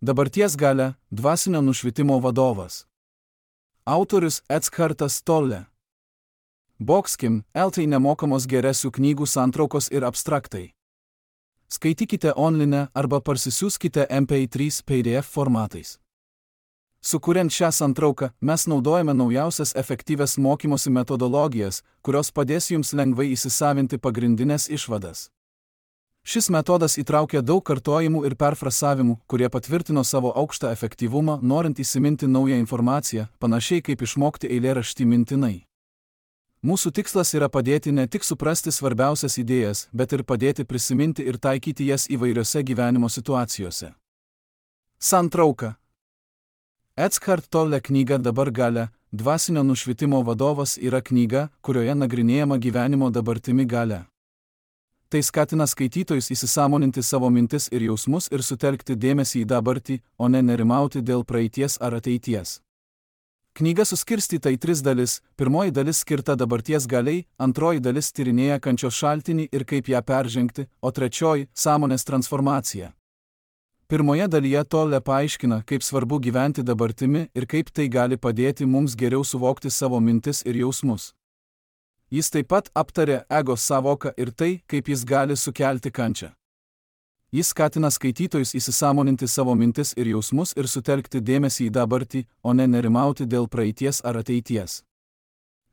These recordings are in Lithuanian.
Dabarties galia – dvasinio nušvitimo vadovas. Autorius Eckartas Tolle. Boxkim, LT nemokamos geresių knygų santraukos ir abstraktai. Skaitykite online arba parsisiųskite MP3 PDF formatais. Sukuriant šią santrauką, mes naudojame naujausias efektyvias mokymosi metodologijas, kurios padės jums lengvai įsisavinti pagrindinės išvadas. Šis metodas įtraukia daug kartojimų ir perfrasavimų, kurie patvirtino savo aukštą efektyvumą, norint įsiminti naują informaciją, panašiai kaip išmokti eilėraštį mintinai. Mūsų tikslas yra padėti ne tik suprasti svarbiausias idėjas, bet ir padėti prisiminti ir taikyti jas įvairiose gyvenimo situacijose. Santrauka. Eckhart Tolle knyga Dabar galia – dvasinio nušvitimo vadovas yra knyga, kurioje nagrinėjama gyvenimo dabartimi galia. Tai skatina skaitytojus įsisąmoninti savo mintis ir jausmus ir sutelkti dėmesį į dabartį, o ne nerimauti dėl praeities ar ateities. Knyga suskirstyta į 3 dalis, pirmoji dalis skirta dabarties galiai, antroji dalis tyrinėja kančios šaltinį ir kaip ją peržengti, o trečioji – sąmonės transformacija. Pirmoje dalyje Tolle paaiškina, kaip svarbu gyventi dabartimi ir kaip tai gali padėti mums geriau suvokti savo mintis ir jausmus. Jis taip pat aptarė ego sąvoką ir tai, kaip jis gali sukelti kančią. Jis skatina skaitytojus įsisąmoninti savo mintis ir jausmus ir sutelkti dėmesį į dabartį, o ne nerimauti dėl praeities ar ateities.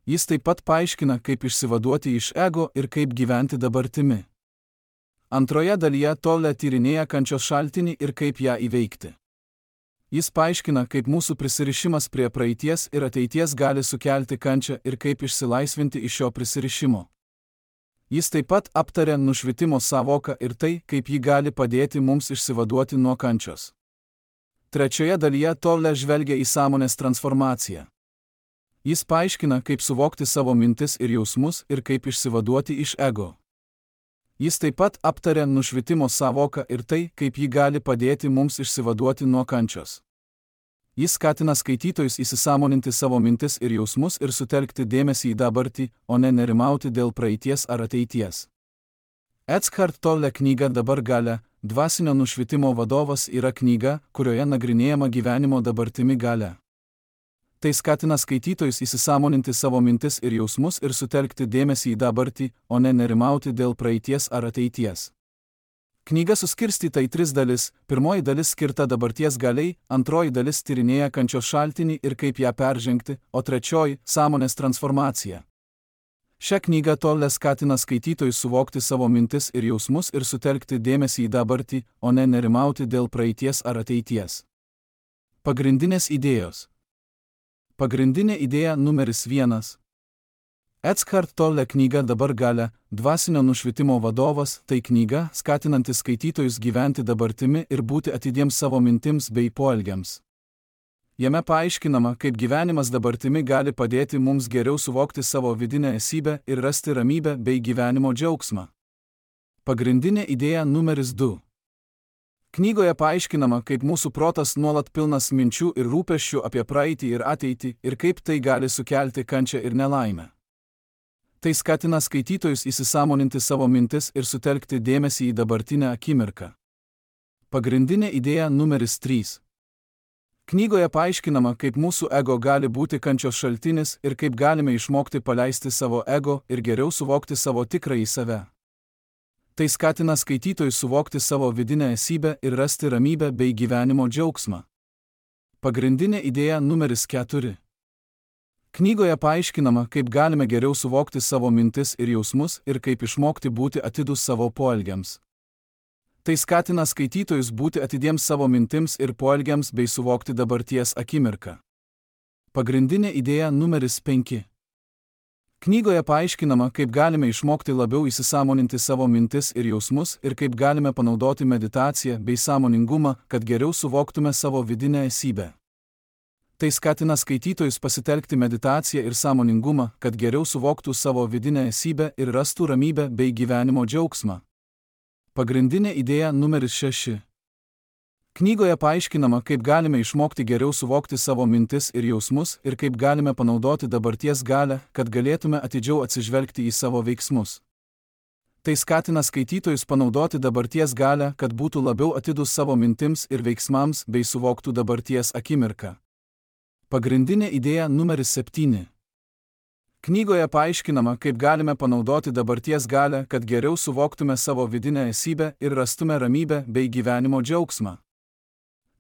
Jis taip pat paaiškina, kaip išsivaduoti iš ego ir kaip gyventi dabartimi. Antroje dalyje Tolle tyrinėja kančios šaltinį ir kaip ją įveikti. Jis paaiškina, kaip mūsų prisirišimas prie praeities ir ateities gali sukelti kančią ir kaip išsilaisvinti iš šio prisirišimo. Jis taip pat aptarė nušvitimo sąvoką ir tai, kaip ji gali padėti mums išsivaduoti nuo kančios. Trečioje dalyje Tolle žvelgia į sąmonės transformaciją. Jis paaiškina, kaip suvokti savo mintis ir jausmus ir kaip išsivaduoti iš ego. Jis taip pat aptarė nušvitimo sąvoką ir tai, kaip ji gali padėti mums išsivaduoti nuo kančios. Jis skatina skaitytojus įsisąmoninti savo mintis ir jausmus ir sutelkti dėmesį į dabartį, o ne nerimauti dėl praeities ar ateities. Eckhart Tolle knyga Dabar galia – dvasinio nušvitimo vadovas yra knyga, kurioje nagrinėjama gyvenimo dabartimi galia. Tai skatina skaitytojus įsisąmoninti savo mintis ir jausmus ir sutelkti dėmesį į dabartį, o ne nerimauti dėl praeities ar ateities. Knyga suskirstyta į 3 dalis, pirmoji dalis skirta dabarties galiai, antroji dalis tyrinėja kančios šaltinį ir kaip ją peržengti, o trečioji – sąmonės transformacija. Šią knygą Tolle skatina skaitytojus suvokti savo mintis ir jausmus ir sutelkti dėmesį į dabartį, o ne nerimauti dėl praeities ar ateities. Pagrindinės idėjos. Pagrindinė idėja numeris 1. Eckhart Tolle knyga Dabar galia – dvasinio nušvitimo vadovas – tai knyga, skatinanti skaitytojus gyventi dabartimi ir būti atidiems savo mintims bei poelgiams. Jame paaiškinama, kaip gyvenimas dabartimi gali padėti mums geriau suvokti savo vidinę esybę ir rasti ramybę bei gyvenimo džiaugsmą. Pagrindinė idėja numeris 2. Knygoje paaiškinama, kaip mūsų protas nuolat pilnas minčių ir rūpesčių apie praeitį ir ateitį ir kaip tai gali sukelti kančią ir nelaimę. Tai skatina skaitytojus įsisąmoninti savo mintis ir sutelkti dėmesį į dabartinę akimirką. Pagrindinė idėja numeris 3. Knygoje paaiškinama, kaip mūsų ego gali būti kančios šaltinis ir kaip galime išmokti paleisti savo ego ir geriau suvokti savo tikrąjį save. Tai skatina skaitytojus suvokti savo vidinę esybę ir rasti ramybę bei gyvenimo džiaugsmą. Pagrindinė idėja numeris 4. Knygoje paaiškinama, kaip galime geriau suvokti savo mintis ir jausmus ir kaip išmokti būti atidūs savo poelgiams. Tai skatina skaitytojus būti atidiems savo mintims ir poelgiams bei suvokti dabarties akimirką. Pagrindinė idėja numeris 5. Knygoje paaiškinama, kaip galime išmokti labiau įsisąmoninti savo mintis ir jausmus ir kaip galime panaudoti meditaciją bei sąmoningumą, kad geriau suvoktume savo vidinę esybę. Tai skatina skaitytojus pasitelkti meditaciją ir sąmoningumą, kad geriau suvoktų savo vidinę esybę ir rastų ramybę bei gyvenimo džiaugsmą. Pagrindinė idėja numeris 6. Knygoje paaiškinama, kaip galime išmokti geriau suvokti savo mintis ir jausmus ir kaip galime panaudoti dabarties galią, kad galėtume atidžiau atsižvelgti į savo veiksmus. Tai skatina skaitytojus panaudoti dabarties galią, kad būtų labiau atidūs savo mintims ir veiksmams bei suvoktų dabarties akimirką. Pagrindinė idėja numeris 7. Knygoje paaiškinama, kaip galime panaudoti dabarties galią, kad geriau suvoktume savo vidinę esybę ir rastume ramybę bei gyvenimo džiaugsmą.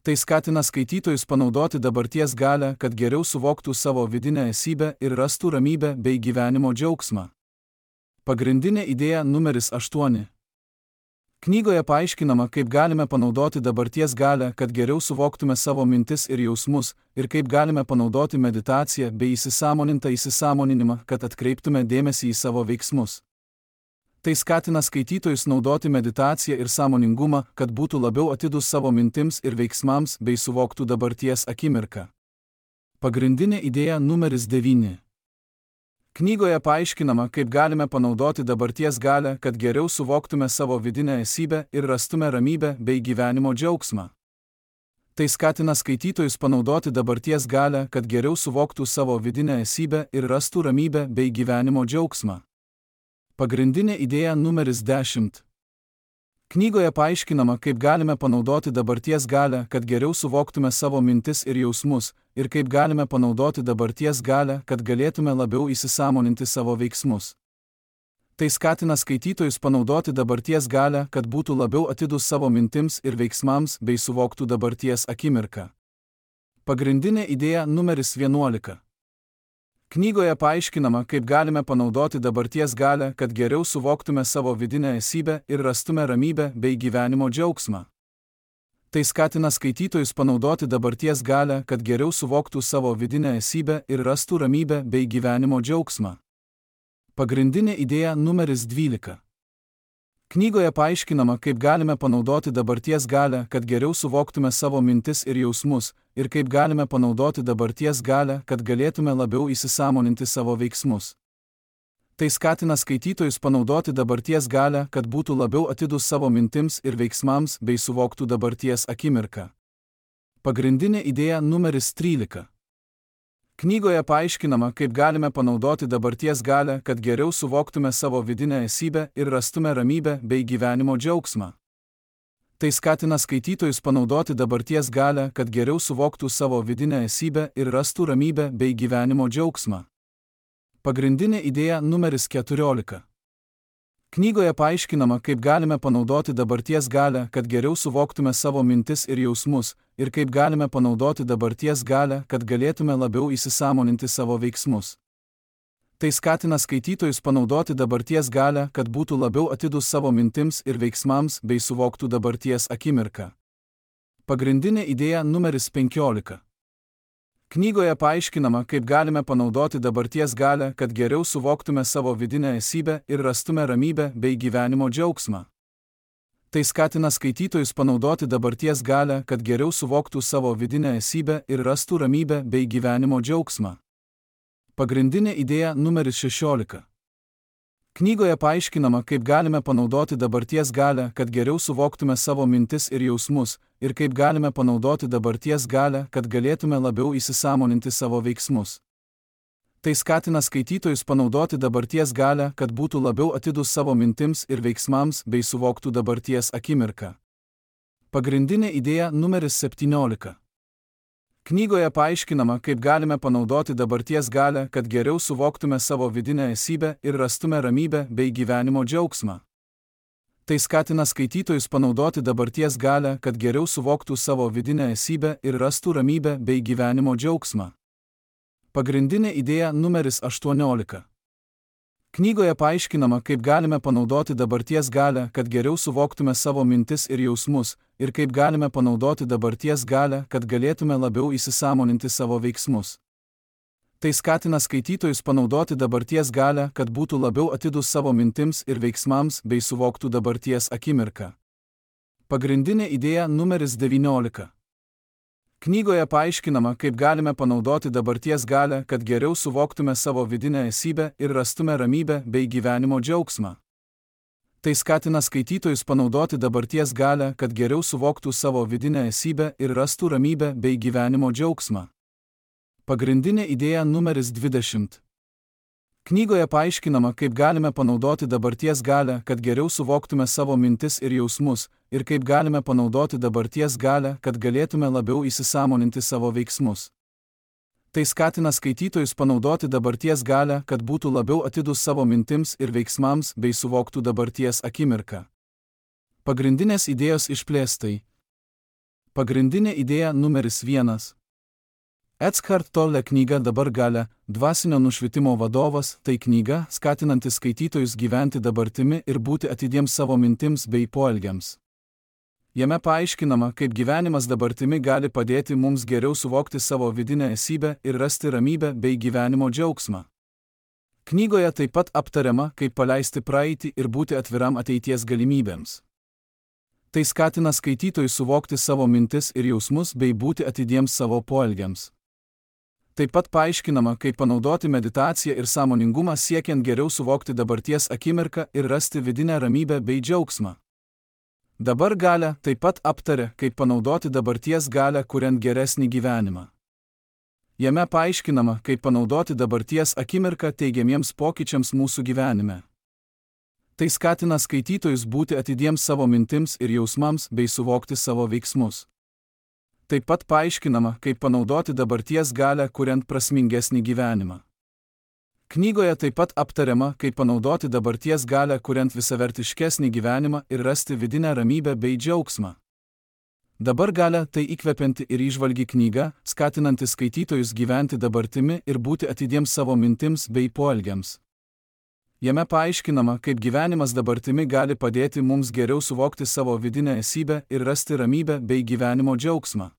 Tai skatina skaitytojus panaudoti dabarties galią, kad geriau suvoktų savo vidinę esybę ir rastų ramybę bei gyvenimo džiaugsmą. Pagrindinė idėja numeris 8. Knygoje paaiškinama, kaip galime panaudoti dabarties galią, kad geriau suvoktume savo mintis ir jausmus, ir kaip galime panaudoti meditaciją bei įsisąmonintą įsisąmoninimą, kad atkreiptume dėmesį į savo veiksmus. Tai skatina skaitytojus naudoti meditaciją ir sąmoningumą, kad būtų labiau atidūs savo mintims ir veiksmams bei suvoktų dabarties akimirką. Pagrindinė idėja numeris 9. Knygoje paaiškinama, kaip galime panaudoti dabarties galią, kad geriau suvoktume savo vidinę esybę ir rastume ramybę bei gyvenimo džiaugsmą. Tai skatina skaitytojus panaudoti dabarties galią, kad geriau suvoktų savo vidinę esybę ir rastų ramybę bei gyvenimo džiaugsmą. Pagrindinė idėja numeris 10. Knygoje paaiškinama, kaip galime panaudoti dabarties galią, kad geriau suvoktume savo mintis ir jausmus, ir kaip galime panaudoti dabarties galią, kad galėtume labiau įsisąmoninti savo veiksmus. Tai skatina skaitytojus panaudoti dabarties galią, kad būtų labiau atidūs savo mintims ir veiksmams bei suvoktų dabarties akimirką. Pagrindinė idėja numeris 11. Knygoje paaiškinama, kaip galime panaudoti dabarties galią, kad geriau suvoktume savo vidinę esybę ir rastume ramybę bei gyvenimo džiaugsmą. Tai skatina skaitytojus panaudoti dabarties galią, kad geriau suvoktų savo vidinę esybę ir rastų ramybę bei gyvenimo džiaugsmą. Pagrindinė idėja numeris 12. Knygoje paaiškinama, kaip galime panaudoti dabarties galią, kad geriau suvoktume savo mintis ir jausmus, ir kaip galime panaudoti dabarties galią, kad galėtume labiau įsisąmoninti savo veiksmus. Tai skatina skaitytojus panaudoti dabarties galią, kad būtų labiau atidūs savo mintims ir veiksmams bei suvoktų dabarties akimirką. Pagrindinė idėja numeris 13. Knygoje paaiškinama, kaip galime panaudoti dabarties galią, kad geriau suvoktume savo vidinę esybę ir rastume ramybę bei gyvenimo džiaugsmą. Tai skatina skaitytojus panaudoti dabarties galią, kad geriau suvoktų savo vidinę esybę ir rastų ramybę bei gyvenimo džiaugsmą. Pagrindinė idėja numeris 14. Knygoje paaiškinama, kaip galime panaudoti dabarties galią, kad geriau suvoktume savo mintis ir jausmus, ir kaip galime panaudoti dabarties galią, kad galėtume labiau įsisąmoninti savo veiksmus. Tai skatina skaitytojus panaudoti dabarties galią, kad būtų labiau atidūs savo mintims ir veiksmams bei suvoktų dabarties akimirką. Pagrindinė idėja numeris 15. Knygoje paaiškinama, kaip galime panaudoti dabarties galią, kad geriau suvoktume savo vidinę esybę ir rastume ramybę bei gyvenimo džiaugsmą. Tai skatina skaitytojus panaudoti dabarties galią, kad geriau suvoktų savo vidinę esybę ir rastų ramybę bei gyvenimo džiaugsmą. Pagrindinė idėja numeris 16. Knygoje paaiškinama, kaip galime panaudoti dabarties galią, kad geriau suvoktume savo mintis ir jausmus, ir kaip galime panaudoti dabarties galią, kad galėtume labiau įsisąmoninti savo veiksmus. Tai skatina skaitytojus panaudoti dabarties galią, kad būtų labiau atidūs savo mintims ir veiksmams bei suvoktų dabarties akimirką. Pagrindinė idėja numeris 17. Knygoje paaiškinama, kaip galime panaudoti dabarties galią, kad geriau suvoktume savo vidinę esybę ir rastume ramybę bei gyvenimo džiaugsmą. Tai skatina skaitytojus panaudoti dabarties galią, kad geriau suvoktų savo vidinę esybę ir rastų ramybę bei gyvenimo džiaugsmą. Pagrindinė idėja numeris 18. Knygoje paaiškinama, kaip galime panaudoti dabarties galią, kad geriau suvoktume savo mintis ir jausmus, ir kaip galime panaudoti dabarties galią, kad galėtume labiau įsisąmoninti savo veiksmus. Tai skatina skaitytojus panaudoti dabarties galią, kad būtų labiau atidūs savo mintims ir veiksmams bei suvoktų dabarties akimirką. Pagrindinė idėja numeris 19. Knygoje paaiškinama, kaip galime panaudoti dabarties galią, kad geriau suvoktume savo vidinę esybę ir rastume ramybę bei gyvenimo džiaugsmą. Tai skatina skaitytojus panaudoti dabarties galią, kad geriau suvoktų savo vidinę esybę ir rastų ramybę bei gyvenimo džiaugsmą. Pagrindinė idėja numeris 20. Knygoje paaiškinama, kaip galime panaudoti dabarties galią, kad geriau suvoktume savo mintis ir jausmus, ir kaip galime panaudoti dabarties galią, kad galėtume labiau įsisąmoninti savo veiksmus. Tai skatina skaitytojus panaudoti dabarties galią, kad būtų labiau atidūs savo mintims ir veiksmams bei suvoktų dabarties akimirką. Pagrindinės idėjos išplėstai. Pagrindinė idėja numeris 1. Eckhart Tolle knyga Dabar galia, dvasinio nušvitimo vadovas, tai knyga, skatinanti skaitytojus gyventi dabartimi ir būti atidiems savo mintims bei poelgiams. Jame paaiškinama, kaip gyvenimas dabartimi gali padėti mums geriau suvokti savo vidinę esybę ir rasti ramybę bei gyvenimo džiaugsmą. Knygoje taip pat aptariama, kaip paleisti praeitį ir būti atviram ateities galimybėms. Tai skatina skaitytojus suvokti savo mintis ir jausmus bei būti atidiems savo poelgiams. Taip pat paaiškinama, kaip panaudoti meditaciją ir sąmoningumą siekiant geriau suvokti dabarties akimirką ir rasti vidinę ramybę bei džiaugsmą. Dabar galia taip pat aptaria, kaip panaudoti dabarties galią, kuriant geresnį gyvenimą. Jame paaiškinama, kaip panaudoti dabarties akimirką teigiamiems pokyčiams mūsų gyvenime. Tai skatina skaitytojus būti atidiems savo mintims ir jausmams bei suvokti savo veiksmus. Taip pat paaiškinama, kaip panaudoti dabarties galią, kuriant prasmingesnį gyvenimą. Knygoje taip pat aptariama, kaip panaudoti dabarties galią, kuriant visavertiškesnį gyvenimą ir rasti vidinę ramybę bei džiaugsmą. Dabar galia tai įkvepianti ir įžvalgi knyga, skatinanti skaitytojus gyventi dabartimi ir būti atidiems savo mintims bei poelgiams. Jame paaiškinama, kaip gyvenimas dabartimi gali padėti mums geriau suvokti savo vidinę esybę ir rasti ramybę bei gyvenimo džiaugsmą.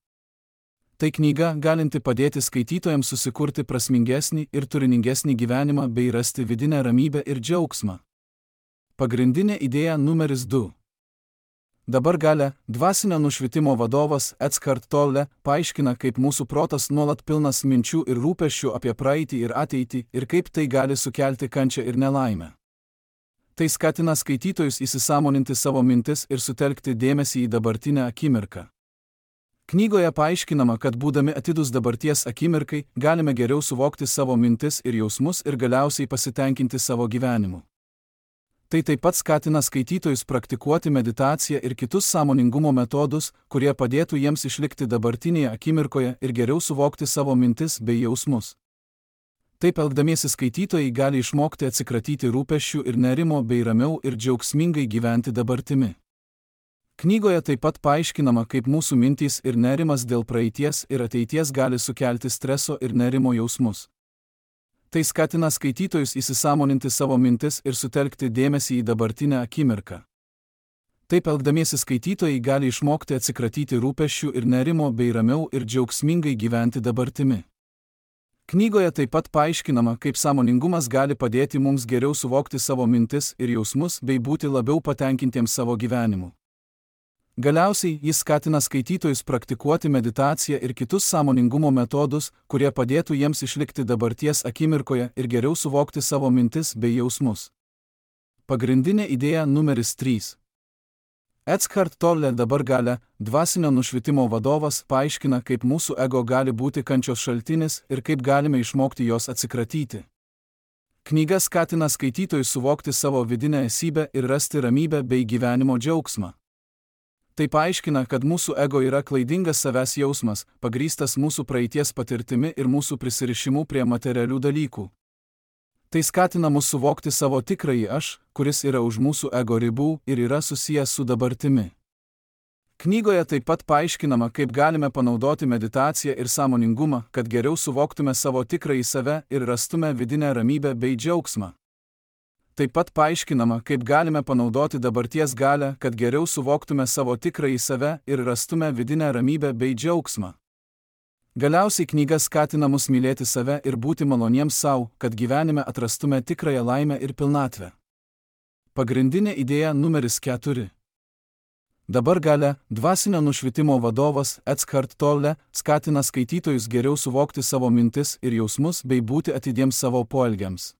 Tai knyga, galinti padėti skaitytojams susikurti prasmingesnį ir turiningesnį gyvenimą bei rasti vidinę ramybę ir džiaugsmą. Pagrindinė idėja numeris 2. Dabar galia, dvasinio nušvitimo vadovas Eckhart Tolle paaiškina, kaip mūsų protas nuolat pilnas minčių ir rūpesčių apie praeitį ir ateitį ir kaip tai gali sukelti kančią ir nelaimę. Tai skatina skaitytojus įsisąmoninti savo mintis ir sutelkti dėmesį į dabartinę akimirką. Knygoje paaiškinama, kad būdami atidūs dabarties akimirkai, galime geriau suvokti savo mintis ir jausmus ir galiausiai pasitenkinti savo gyvenimu. Tai taip pat skatina skaitytojus praktikuoti meditaciją ir kitus sąmoningumo metodus, kurie padėtų jiems išlikti dabartinėje akimirkoje ir geriau suvokti savo mintis bei jausmus. Taip elgdamiesi skaitytojai gali išmokti atsikratyti rūpesčių ir nerimo bei ramiau ir džiaugsmingai gyventi dabartimi. Knygoje taip pat paaiškinama, kaip mūsų mintys ir nerimas dėl praeities ir ateities gali sukelti streso ir nerimo jausmus. Tai skatina skaitytojus įsisąmoninti savo mintis ir sutelkti dėmesį į dabartinę akimirką. Taip elgdamiesi skaitytojai gali išmokti atsikratyti rūpesčių ir nerimo bei ramiau ir džiaugsmingai gyventi dabartimi. Knygoje taip pat paaiškinama, kaip sąmoningumas gali padėti mums geriau suvokti savo mintis ir jausmus bei būti labiau patenkintiems savo gyvenimu. Galiausiai jis skatina skaitytojus praktikuoti meditaciją ir kitus sąmoningumo metodus, kurie padėtų jiems išlikti dabarties akimirkoje ir geriau suvokti savo mintis bei jausmus. Pagrindinė idėja numeris 3. Eckhart Tolle Dabar galia, dvasinio nušvitimo vadovas paaiškina, kaip mūsų ego gali būti kančios šaltinis ir kaip galime išmokti jos atsikratyti. Knyga skatina skaitytojus suvokti savo vidinę esybę ir rasti ramybę bei gyvenimo džiaugsmą. Tai paaiškina, kad mūsų ego yra klaidingas savęs jausmas, pagrįstas mūsų praeities patirtimi ir mūsų prisirišimu prie materialių dalykų. Tai skatina mus suvokti savo tikrąjį aš, kuris yra už mūsų ego ribų ir yra susijęs su dabartimi. Knygoje taip pat paaiškinama, kaip galime panaudoti meditaciją ir sąmoningumą, kad geriau suvoktume savo tikrąjį save ir rastume vidinę ramybę bei džiaugsmą. Taip pat paaiškinama, kaip galime panaudoti dabarties galią, kad geriau suvoktume savo tikrąjį save ir rastume vidinę ramybę bei džiaugsmą. Galiausiai knyga skatina mus mylėti save ir būti maloniems savo, kad gyvenime atrastume tikrąją laimę ir pilnatvę. Pagrindinė idėja numeris 4. Dabar galia, dvasinio nušvitimo vadovas Eckhart Tolle skatina skaitytojus geriau suvokti savo mintis ir jausmus bei būti atidiems savo poelgiams.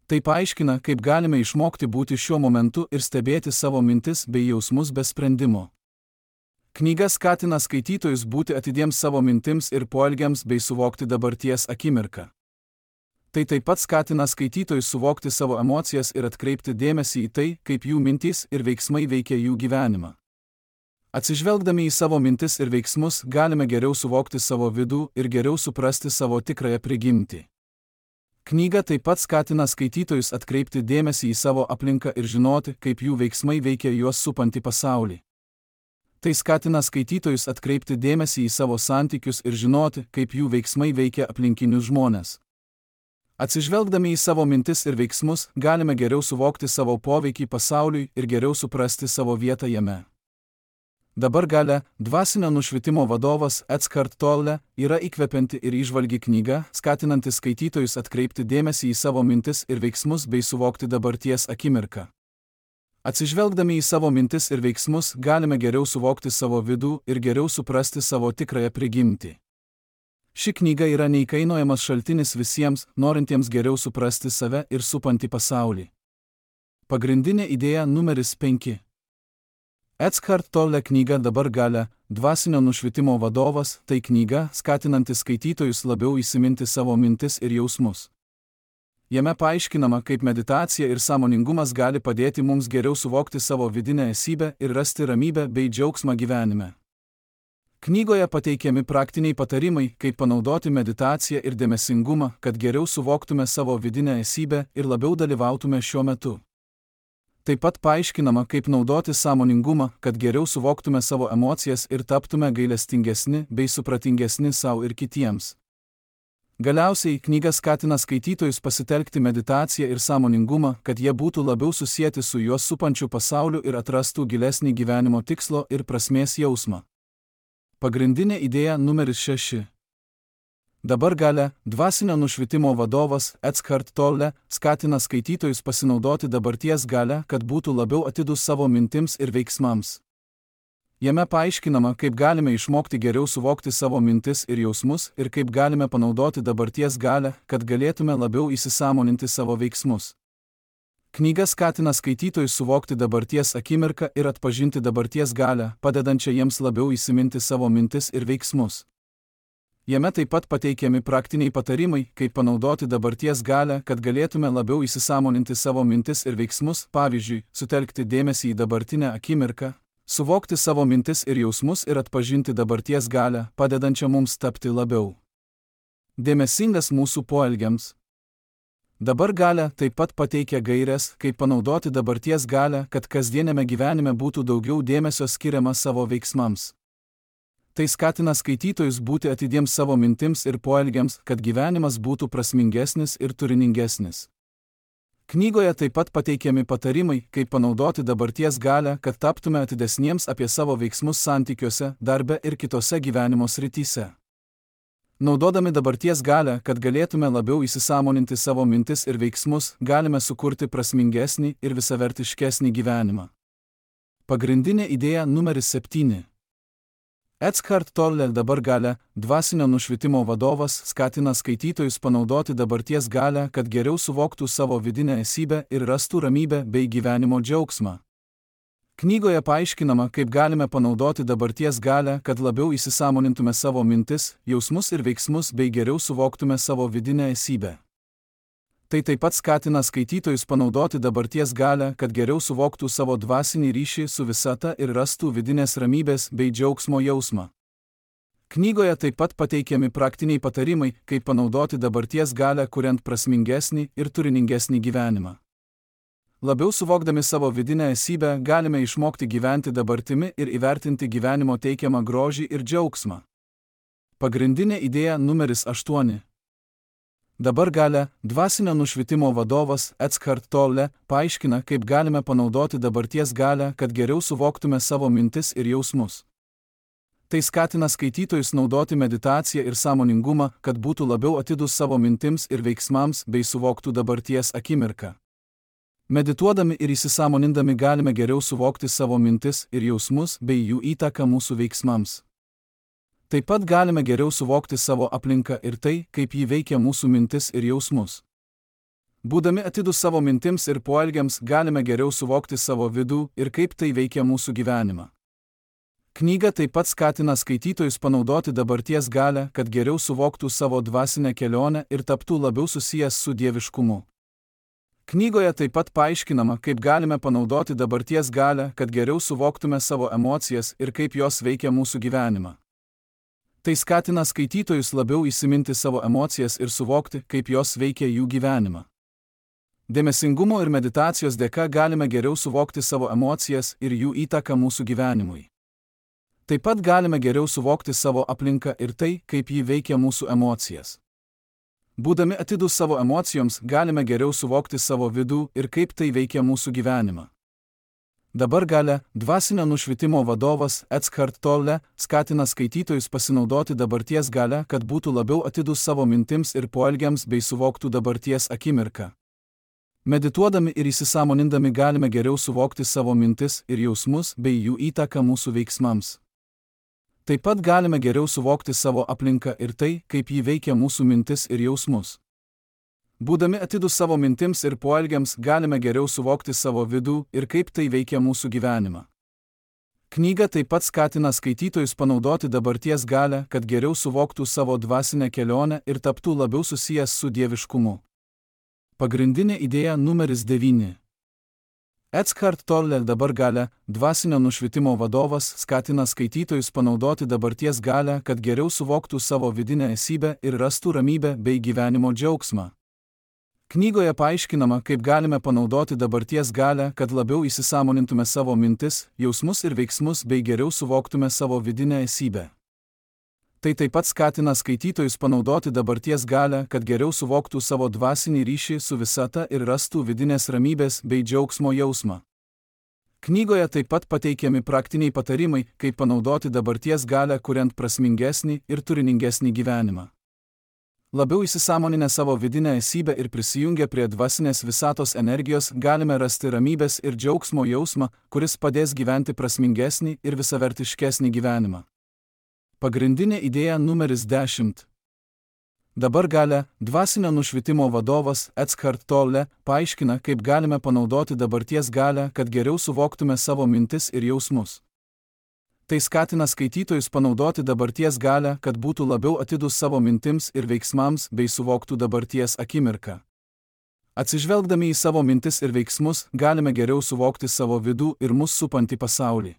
Tai paaiškina, kaip galime išmokti būti šiuo momentu ir stebėti savo mintis bei jausmus be sprendimo. Knyga skatina skaitytojus būti atidiems savo mintims ir poelgiams bei suvokti dabarties akimirką. Tai taip pat skatina skaitytojus suvokti savo emocijas ir atkreipti dėmesį į tai, kaip jų mintys ir veiksmai veikia jų gyvenimą. Atsižvelgdami į savo mintis ir veiksmus, galime geriau suvokti savo vidų ir geriau suprasti savo tikrąją prigimtį. Knyga taip pat skatina skaitytojus atkreipti dėmesį į savo aplinką ir žinoti, kaip jų veiksmai veikia juos supantį pasaulį. Tai skatina skaitytojus atkreipti dėmesį į savo santykius ir žinoti, kaip jų veiksmai veikia aplinkinius žmones. Atsižvelgdami į savo mintis ir veiksmus, galime geriau suvokti savo poveikį pasauliui ir geriau suprasti savo vietą jame. Dabar Galia, dvasinio nušvitimo vadovas Eckhart Tolle, yra įkvepianti ir įžvalgi knyga, skatinanti skaitytojus atkreipti dėmesį į savo mintis ir veiksmus bei suvokti dabarties akimirką. Atsižvelgdami į savo mintis ir veiksmus, galime geriau suvokti savo vidų ir geriau suprasti savo tikrąją prigimtį. Ši knyga yra neįkainojamas šaltinis visiems, norintiems geriau suprasti save ir supantį pasaulį. Pagrindinė idėja numeris 5. Eckhart Tolle knyga Dabar Galia, dvasinio nušvitimo vadovas, tai knyga, skatinanti skaitytojus labiau įsiminti savo mintis ir jausmus. Jame paaiškinama, kaip meditacija ir sąmoningumas gali padėti mums geriau suvokti savo vidinę esybę ir rasti ramybę bei džiaugsmą gyvenime. Knygoje pateikiami praktiniai patarimai, kaip panaudoti meditaciją ir dėmesingumą, kad geriau suvoktume savo vidinę esybę ir labiau dalyvautume šiuo metu. Taip pat paaiškinama, kaip naudoti sąmoningumą, kad geriau suvoktume savo emocijas ir taptume gailestingesni bei supratingesni savo ir kitiems. Galiausiai, knyga skatina skaitytojus pasitelkti meditaciją ir sąmoningumą, kad jie būtų labiau susieti su juos supančiu pasauliu ir atrastų gilesnį gyvenimo tikslo ir prasmės jausmą. Pagrindinė idėja numeris 6. Dabar Galia, dvasinio nušvitimo vadovas Eckhart Tolle, skatina skaitytojus pasinaudoti dabarties galią, kad būtų labiau atidūs savo mintims ir veiksmams. Jame paaiškinama, kaip galime išmokti geriau suvokti savo mintis ir jausmus ir kaip galime panaudoti dabarties galią, kad galėtume labiau įsisąmoninti savo veiksmus. Knyga skatina skaitytojus suvokti dabarties akimirką ir atpažinti dabarties galią, padedančią jiems labiau įsiminti savo mintis ir veiksmus. Jame taip pat pateikiami praktiniai patarimai, kaip panaudoti dabarties galią, kad galėtume labiau įsisąmoninti savo mintis ir veiksmus, pavyzdžiui, sutelkti dėmesį į dabartinę akimirką, suvokti savo mintis ir jausmus ir atpažinti dabarties galią, padedančią mums tapti labiau dėmesingas mūsų poelgiams. Dabar Galia taip pat pateikia gaires, kaip panaudoti dabarties galią, kad kasdienėme gyvenime būtų daugiau dėmesio skiriama savo veiksmams. Tai skatina skaitytojus būti atidiems savo mintims ir poelgiams, kad gyvenimas būtų prasmingesnis ir turiningesnis. Knygoje taip pat pateikiami patarimai, kaip panaudoti dabarties galią, kad taptume atidesniems apie savo veiksmus santykiuose, darbe ir kitose gyvenimo srityse. Naudodami dabarties galią, kad galėtume labiau įsisąmoninti savo mintis ir veiksmus, galime sukurti prasmingesnį ir visavertiškesnį gyvenimą. Pagrindinė idėja numeris 7. Eckhart Tolle Dabar Galia, dvasinio nušvitimo vadovas, skatina skaitytojus panaudoti dabarties galią, kad geriau suvoktų savo vidinę esybę ir rastų ramybę bei gyvenimo džiaugsmą. Knygoje paaiškinama, kaip galime panaudoti dabarties galią, kad labiau įsisąmonintume savo mintis, jausmus ir veiksmus bei geriau suvoktume savo vidinę esybę. Tai taip pat skatina skaitytojus panaudoti dabarties galią, kad geriau suvoktų savo dvasinį ryšį su visata ir rastų vidinės ramybės bei džiaugsmo jausmą. Knygoje taip pat pateikiami praktiniai patarimai, kaip panaudoti dabarties galią, kuriant prasmingesnį ir turiningesnį gyvenimą. Labiau suvokdami savo vidinę esybę, galime išmokti gyventi dabartimi ir įvertinti gyvenimo teikiamą grožį ir džiaugsmą. Pagrindinė idėja numeris 8. Dabar Galia, dvasinio nušvitimo vadovas Eckhart Tolle, paaiškina, kaip galime panaudoti dabarties galią, kad geriau suvoktume savo mintis ir jausmus. Tai skatina skaitytojus naudoti meditaciją ir sąmoningumą, kad būtų labiau atidūs savo mintims ir veiksmams bei suvoktų dabarties akimirką. Medituodami ir įsisąmonindami galime geriau suvokti savo mintis ir jausmus bei jų įtaką mūsų veiksmams. Taip pat galime geriau suvokti savo aplinką ir tai, kaip jį veikia mūsų mintis ir jausmus. Būdami atidūs savo mintims ir poelgiams, galime geriau suvokti savo vidų ir kaip tai veikia mūsų gyvenimą. Knyga taip pat skatina skaitytojus panaudoti dabarties galią, kad geriau suvoktų savo dvasinę kelionę ir taptų labiau susijęs su dieviškumu. Knygoje taip pat paaiškinama, kaip galime panaudoti dabarties galią, kad geriau suvoktume savo emocijas ir kaip jos veikia mūsų gyvenimą. Tai skatina skaitytojus labiau įsiminti savo emocijas ir suvokti, kaip jos veikia jų gyvenimą. Dėmesingumo ir meditacijos dėka galime geriau suvokti savo emocijas ir jų įtaką mūsų gyvenimui. Taip pat galime geriau suvokti savo aplinką ir tai, kaip ji veikia mūsų emocijas. Būdami atidūs savo emocijoms, galime geriau suvokti savo vidų ir kaip tai veikia mūsų gyvenimą. Dabar galia, dvasinio nušvitimo vadovas Eckhart Tolle skatina skaitytojus pasinaudoti dabarties galią, kad būtų labiau atidūs savo mintims ir poelgiams bei suvoktų dabarties akimirką. Medituodami ir įsisąmonindami galime geriau suvokti savo mintis ir jausmus bei jų įtaką mūsų veiksmams. Taip pat galime geriau suvokti savo aplinką ir tai, kaip ji veikia mūsų mintis ir jausmus. Būdami atidūs savo mintims ir poelgiams, galime geriau suvokti savo vidų ir kaip tai veikia mūsų gyvenimą. Knyga taip pat skatina skaitytojus panaudoti dabarties galią, kad geriau suvoktų savo dvasinę kelionę ir taptų labiau susijęs su dieviškumu. Pagrindinė idėja numeris 9. Eckhart Tolle dabar galia, dvasinio nušvitimo vadovas skatina skaitytojus panaudoti dabarties galią, kad geriau suvoktų savo vidinę esybę ir rastų ramybę bei gyvenimo džiaugsmą. Knygoje paaiškinama, kaip galime panaudoti dabarties galią, kad labiau įsisąmonintume savo mintis, jausmus ir veiksmus bei geriau suvoktume savo vidinę esybę. Tai taip pat skatina skaitytojus panaudoti dabarties galią, kad geriau suvoktų savo dvasinį ryšį su visata ir rastų vidinės ramybės bei džiaugsmo jausmą. Knygoje taip pat pateikiami praktiniai patarimai, kaip panaudoti dabarties galią, kuriant prasmingesnį ir turiningesnį gyvenimą. Labiau įsisąmoninę savo vidinę esybę ir prisijungę prie dvasinės visatos energijos, galime rasti ramybės ir džiaugsmo jausmą, kuris padės gyventi prasmingesnį ir visavertiškesnį gyvenimą. Pagrindinė idėja numeris 10. Dabar galia, dvasinio nušvitimo vadovas Eckhart Tolle paaiškina, kaip galime panaudoti dabarties galią, kad geriau suvoktume savo mintis ir jausmus. Tai skatina skaitytojus panaudoti dabarties galią, kad būtų labiau atidūs savo mintims ir veiksmams bei suvoktų dabarties akimirką. Atsižvelgdami į savo mintis ir veiksmus, galime geriau suvokti savo vidų ir mus supantį pasaulį.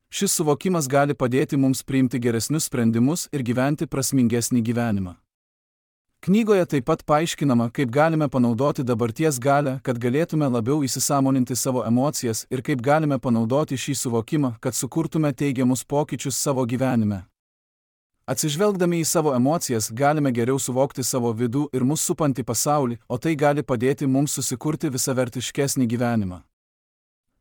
Šis suvokimas gali padėti mums priimti geresnius sprendimus ir gyventi prasmingesnį gyvenimą. Knygoje taip pat paaiškinama, kaip galime panaudoti dabarties galią, kad galėtume labiau įsisąmoninti savo emocijas ir kaip galime panaudoti šį suvokimą, kad sukurtume teigiamus pokyčius savo gyvenime. Atsižvelgdami į savo emocijas, galime geriau suvokti savo vidų ir mus supantį pasaulį, o tai gali padėti mums susikurti visavertiškesnį gyvenimą.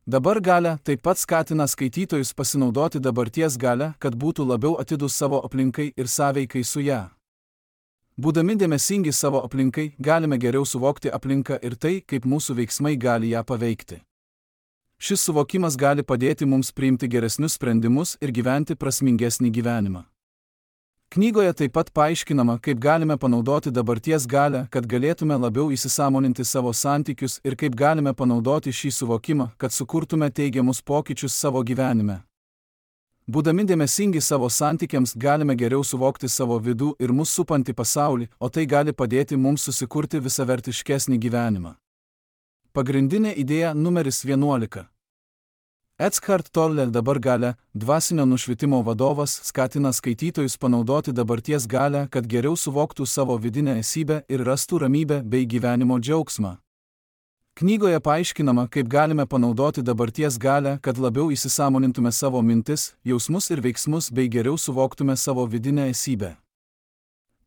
Dabar galia taip pat skatina skaitytojus pasinaudoti dabarties galią, kad būtų labiau atidūs savo aplinkai ir sąveikai su ją. Būdami dėmesingi savo aplinkai, galime geriau suvokti aplinką ir tai, kaip mūsų veiksmai gali ją paveikti. Šis suvokimas gali padėti mums priimti geresnius sprendimus ir gyventi prasmingesnį gyvenimą. Knygoje taip pat paaiškinama, kaip galime panaudoti dabarties galią, kad galėtume labiau įsisąmoninti savo santykius ir kaip galime panaudoti šį suvokimą, kad sukurtume teigiamus pokyčius savo gyvenime. Būdami dėmesingi savo santykiams, galime geriau suvokti savo vidų ir mus supantį pasaulį, o tai gali padėti mums susikurti visavertiškesnį gyvenimą. Pagrindinė idėja numeris 11. Eckhart Tolle dabar galia, dvasinio nušvitimo vadovas skatina skaitytojus panaudoti dabarties galią, kad geriau suvoktų savo vidinę esybę ir rastų ramybę bei gyvenimo džiaugsmą. Knygoje paaiškinama, kaip galime panaudoti dabarties galią, kad labiau įsisąmonintume savo mintis, jausmus ir veiksmus bei geriau suvoktume savo vidinę esybę.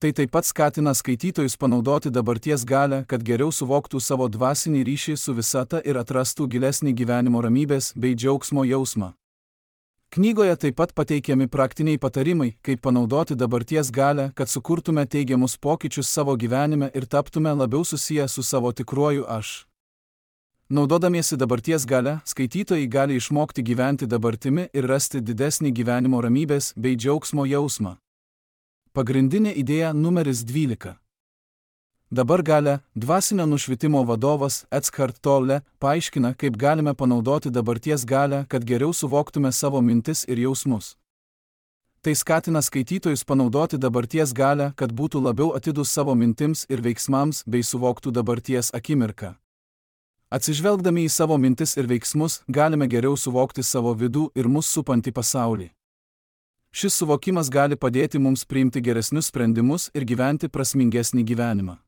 Tai taip pat skatina skaitytojus panaudoti dabarties galią, kad geriau suvoktų savo dvasinį ryšį su visata ir atrastų gilesnį gyvenimo ramybės bei džiaugsmo jausmą. Knygoje taip pat pateikiami praktiniai patarimai, kaip panaudoti dabarties galią, kad sukurtume teigiamus pokyčius savo gyvenime ir taptume labiau susiję su savo tikruoju aš. Naudodamiesi dabarties galią, skaitytojai gali išmokti gyventi dabartimi ir rasti didesnį gyvenimo ramybės bei džiaugsmo jausmą. Pagrindinė idėja numeris 12. Dabar Galia, dvasinio nušvitimo vadovas Eckhart Tolle paaiškina, kaip galime panaudoti dabarties galią, kad geriau suvoktume savo mintis ir jausmus. Tai skatina skaitytojus panaudoti dabarties galią, kad būtų labiau atidūs savo mintims ir veiksmams bei suvoktų dabarties akimirką. Atsižvelgdami į savo mintis ir veiksmus, galime geriau suvokti savo vidų ir mus supantį pasaulį. Šis suvokimas gali padėti mums priimti geresnius sprendimus ir gyventi prasmingesnį gyvenimą.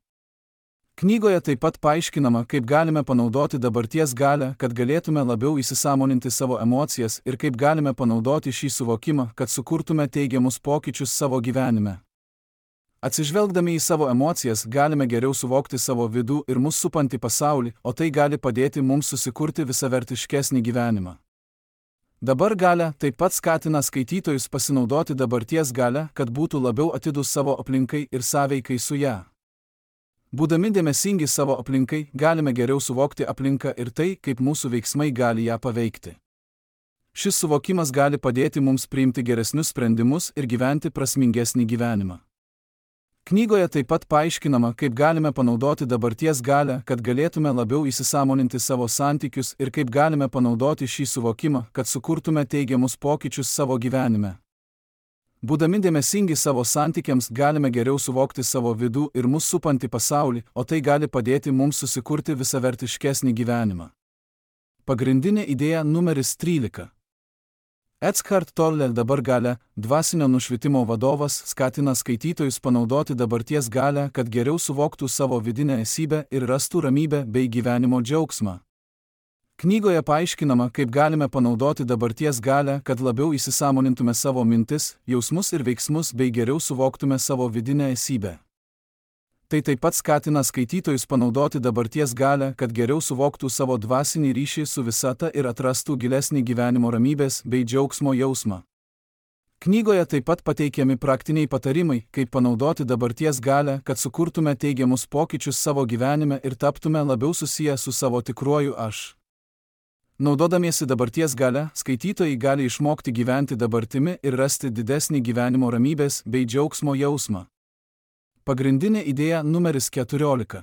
Knygoje taip pat paaiškinama, kaip galime panaudoti dabarties galią, kad galėtume labiau įsisąmoninti savo emocijas ir kaip galime panaudoti šį suvokimą, kad sukurtume teigiamus pokyčius savo gyvenime. Atsižvelgdami į savo emocijas, galime geriau suvokti savo vidų ir mus supantį pasaulį, o tai gali padėti mums susikurti visavertiškesnį gyvenimą. Dabar Galia taip pat skatina skaitytojus pasinaudoti dabarties galią, kad būtų labiau atidūs savo aplinkai ir sąveikai su ją. Būdami dėmesingi savo aplinkai, galime geriau suvokti aplinką ir tai, kaip mūsų veiksmai gali ją paveikti. Šis suvokimas gali padėti mums priimti geresnius sprendimus ir gyventi prasmingesnį gyvenimą. Knygoje taip pat paaiškinama, kaip galime panaudoti dabarties galią, kad galėtume labiau įsisąmoninti savo santykius ir kaip galime panaudoti šį suvokimą, kad sukurtume teigiamus pokyčius savo gyvenime. Būdami dėmesingi savo santykiams, galime geriau suvokti savo vidų ir mus supantį pasaulį, o tai gali padėti mums susikurti visavertiškesnį gyvenimą. Pagrindinė idėja numeris 13. Eckhart Tolle dabar Galia, dvasinio nušvitimo vadovas, skatina skaitytojus panaudoti dabarties galią, kad geriau suvoktų savo vidinę esybę ir rastų ramybę bei gyvenimo džiaugsmą. Knygoje paaiškinama, kaip galime panaudoti dabarties galią, kad labiau įsisąmonintume savo mintis, jausmus ir veiksmus bei geriau suvoktume savo vidinę esybę. Tai taip pat skatina skaitytojus panaudoti dabarties galią, kad geriau suvoktų savo dvasinį ryšį su visata ir atrastų gilesnį gyvenimo ramybės bei džiaugsmo jausmą. Knygoje taip pat pateikiami praktiniai patarimai, kaip panaudoti dabarties galią, kad sukurtume teigiamus pokyčius savo gyvenime ir taptume labiau susiję su savo tikruoju aš. Naudodamiesi dabarties galią, skaitytojai gali išmokti gyventi dabartimi ir rasti didesnį gyvenimo ramybės bei džiaugsmo jausmą. Pagrindinė idėja numeris 14.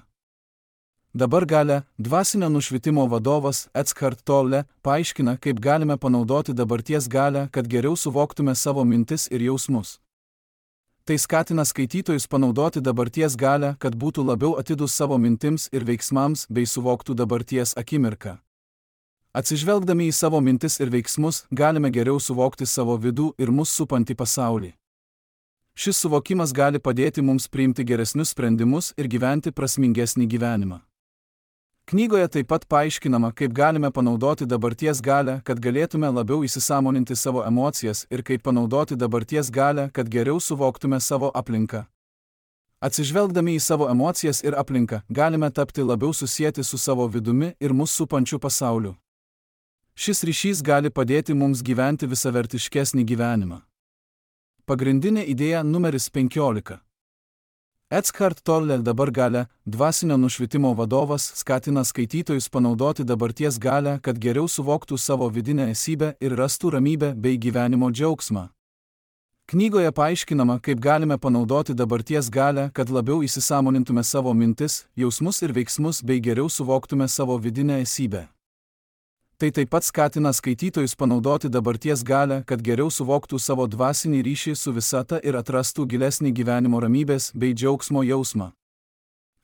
Dabar Galia, dvasinio nušvitimo vadovas Eckhart Tolle paaiškina, kaip galime panaudoti dabarties galią, kad geriau suvoktume savo mintis ir jausmus. Tai skatina skaitytojus panaudoti dabarties galią, kad būtų labiau atidūs savo mintims ir veiksmams bei suvoktų dabarties akimirką. Atsižvelgdami į savo mintis ir veiksmus, galime geriau suvokti savo vidų ir mus supantį pasaulį. Šis suvokimas gali padėti mums priimti geresnius sprendimus ir gyventi prasmingesnį gyvenimą. Knygoje taip pat paaiškinama, kaip galime panaudoti dabarties galią, kad galėtume labiau įsisąmoninti savo emocijas ir kaip panaudoti dabarties galią, kad geriau suvoktume savo aplinką. Atsižvelgdami į savo emocijas ir aplinką, galime tapti labiau susieti su savo vidumi ir mus supančiu pasauliu. Šis ryšys gali padėti mums gyventi visavertiškesnį gyvenimą. Pagrindinė idėja numeris 15. Eckhart Tolle dabar Galia, dvasinio nušvitimo vadovas, skatina skaitytojus panaudoti dabarties galią, kad geriau suvoktų savo vidinę esybę ir rastų ramybę bei gyvenimo džiaugsmą. Knygoje paaiškinama, kaip galime panaudoti dabarties galią, kad labiau įsisąmonintume savo mintis, jausmus ir veiksmus bei geriau suvoktume savo vidinę esybę. Tai taip pat skatina skaitytojus panaudoti dabarties galią, kad geriau suvoktų savo dvasinį ryšį su visata ir atrastų gilesnį gyvenimo ramybės bei džiaugsmo jausmą.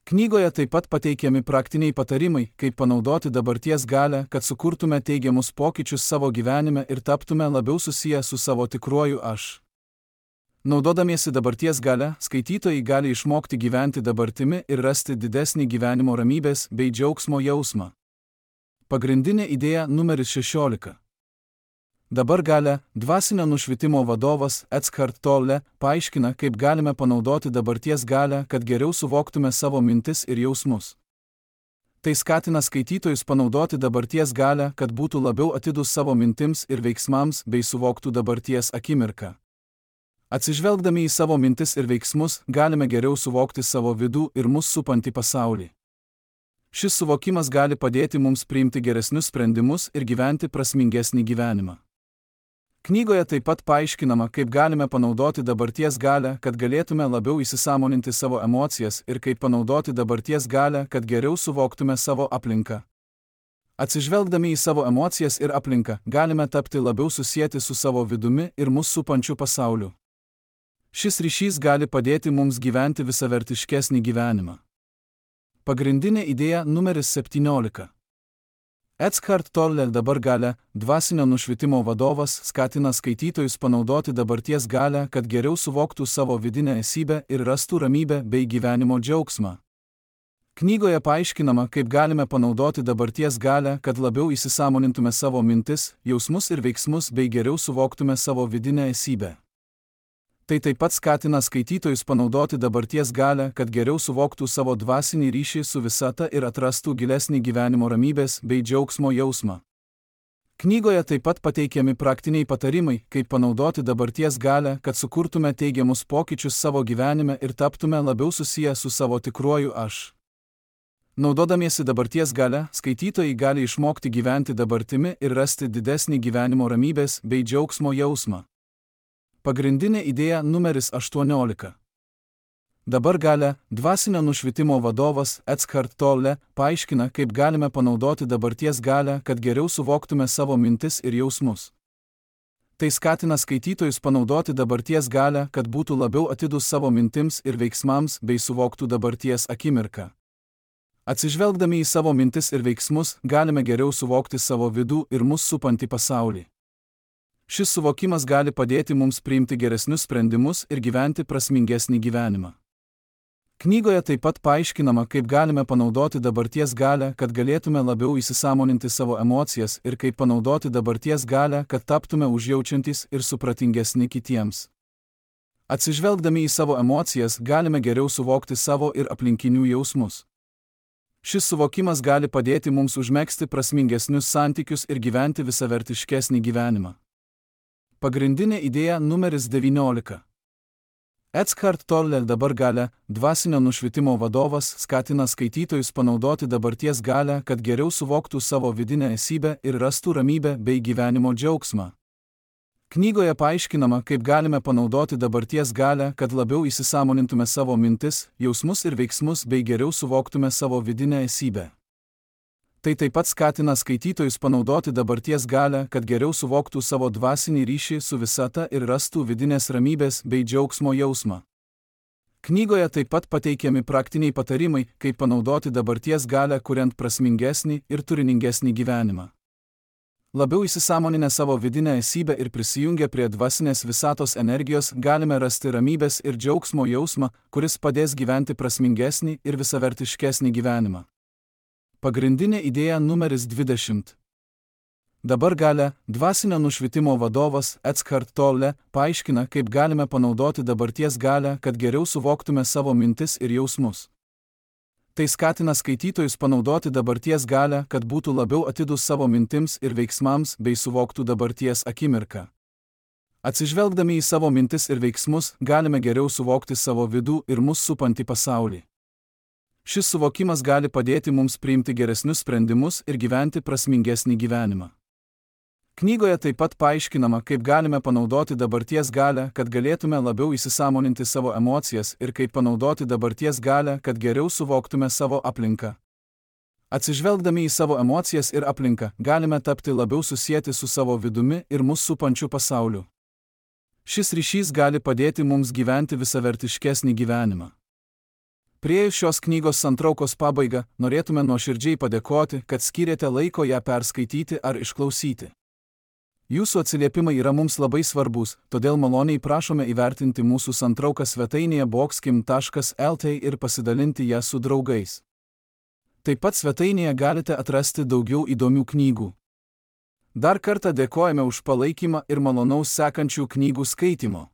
Knygoje taip pat pateikiami praktiniai patarimai, kaip panaudoti dabarties galią, kad sukurtume teigiamus pokyčius savo gyvenime ir taptume labiau susiję su savo tikruoju aš. Naudodamiesi dabarties galią, skaitytojai gali išmokti gyventi dabartimi ir rasti didesnį gyvenimo ramybės bei džiaugsmo jausmą. Pagrindinė idėja numeris 16. Dabar Galia, dvasinio nušvitimo vadovas Eckhart Tolle paaiškina, kaip galime panaudoti dabarties galią, kad geriau suvoktume savo mintis ir jausmus. Tai skatina skaitytojus panaudoti dabarties galią, kad būtų labiau atidūs savo mintims ir veiksmams bei suvoktų dabarties akimirką. Atsižvelgdami į savo mintis ir veiksmus, galime geriau suvokti savo vidų ir mus supantį pasaulį. Šis suvokimas gali padėti mums priimti geresnius sprendimus ir gyventi prasmingesnį gyvenimą. Knygoje taip pat paaiškinama, kaip galime panaudoti dabarties galią, kad galėtume labiau įsisąmoninti savo emocijas ir kaip panaudoti dabarties galią, kad geriau suvoktume savo aplinką. Atsižvelgdami į savo emocijas ir aplinką, galime tapti labiau susieti su savo vidumi ir mus supančiu pasauliu. Šis ryšys gali padėti mums gyventi visavertiškesnį gyvenimą. Pagrindinė idėja numeris 17. Eckhart Tolle dabar galia, dvasinio nušvitimo vadovas, skatina skaitytojus panaudoti dabarties galią, kad geriau suvoktų savo vidinę esybę ir rastų ramybę bei gyvenimo džiaugsmą. Knygoje paaiškinama, kaip galime panaudoti dabarties galią, kad labiau įsisąmonintume savo mintis, jausmus ir veiksmus bei geriau suvoktume savo vidinę esybę. Tai taip pat skatina skaitytojus panaudoti dabarties galią, kad geriau suvoktų savo dvasinį ryšį su visata ir atrastų gilesnį gyvenimo ramybės bei džiaugsmo jausmą. Knygoje taip pat pateikiami praktiniai patarimai, kaip panaudoti dabarties galią, kad sukurtume teigiamus pokyčius savo gyvenime ir taptume labiau susiję su savo tikruoju aš. Naudodamiesi dabarties galią, skaitytojai gali išmokti gyventi dabartimi ir rasti didesnį gyvenimo ramybės bei džiaugsmo jausmą. Pagrindinė idėja numeris 18. Dabar galia, dvasinio nušvitimo vadovas Eckhart Tolle paaiškina, kaip galime panaudoti dabarties galią, kad geriau suvoktume savo mintis ir jausmus. Tai skatina skaitytojus panaudoti dabarties galią, kad būtų labiau atidūs savo mintims ir veiksmams bei suvoktų dabarties akimirką. Atsižvelgdami į savo mintis ir veiksmus, galime geriau suvokti savo vidų ir mus supantį pasaulį. Šis suvokimas gali padėti mums priimti geresnius sprendimus ir gyventi prasmingesnį gyvenimą. Knygoje taip pat paaiškinama, kaip galime panaudoti dabarties galią, kad galėtume labiau įsisąmoninti savo emocijas ir kaip panaudoti dabarties galią, kad taptume užjaučiantys ir supratingesni kitiems. Atsižvelgdami į savo emocijas, galime geriau suvokti savo ir aplinkinių jausmus. Šis suvokimas gali padėti mums užmegzti prasmingesnius santykius ir gyventi visavertiškesnį gyvenimą. Pagrindinė idėja numeris 19. Eckhart Tolle dabar galia, dvasinio nušvitimo vadovas, skatina skaitytojus panaudoti dabarties galią, kad geriau suvoktų savo vidinę esybę ir rastų ramybę bei gyvenimo džiaugsmą. Knygoje paaiškinama, kaip galime panaudoti dabarties galią, kad labiau įsisąmonintume savo mintis, jausmus ir veiksmus bei geriau suvoktume savo vidinę esybę. Tai taip pat skatina skaitytojus panaudoti dabarties galią, kad geriau suvoktų savo dvasinį ryšį su visata ir rastų vidinės ramybės bei džiaugsmo jausmą. Knygoje taip pat pateikiami praktiniai patarimai, kaip panaudoti dabarties galią, kuriant prasmingesnį ir turiningesnį gyvenimą. Labiau įsisąmoninę savo vidinę esybę ir prisijungę prie dvasinės visatos energijos, galime rasti ramybės ir džiaugsmo jausmą, kuris padės gyventi prasmingesnį ir visavertiškesnį gyvenimą. Pagrindinė idėja numeris 20. Dabar galia, dvasinio nušvitimo vadovas Eckhart Tolle paaiškina, kaip galime panaudoti dabarties galią, kad geriau suvoktume savo mintis ir jausmus. Tai skatina skaitytojus panaudoti dabarties galią, kad būtų labiau atidūs savo mintims ir veiksmams bei suvoktų dabarties akimirką. Atsižvelgdami į savo mintis ir veiksmus, galime geriau suvokti savo vidų ir mus supantį pasaulį. Šis suvokimas gali padėti mums priimti geresnius sprendimus ir gyventi prasmingesnį gyvenimą. Knygoje taip pat paaiškinama, kaip galime panaudoti dabarties galią, kad galėtume labiau įsisąmoninti savo emocijas ir kaip panaudoti dabarties galią, kad geriau suvoktume savo aplinką. Atsižvelgdami į savo emocijas ir aplinką, galime tapti labiau susieti su savo vidumi ir mus supančiu pasauliu. Šis ryšys gali padėti mums gyventi visavertiškesnį gyvenimą. Priėjus šios knygos santraukos pabaigą, norėtume nuoširdžiai padėkoti, kad skyrėte laiko ją perskaityti ar išklausyti. Jūsų atsiliepimai yra mums labai svarbus, todėl maloniai prašome įvertinti mūsų santrauką svetainėje boxkim.lt ir pasidalinti ją su draugais. Taip pat svetainėje galite atrasti daugiau įdomių knygų. Dar kartą dėkojame už palaikymą ir malonaus sekančių knygų skaitymo.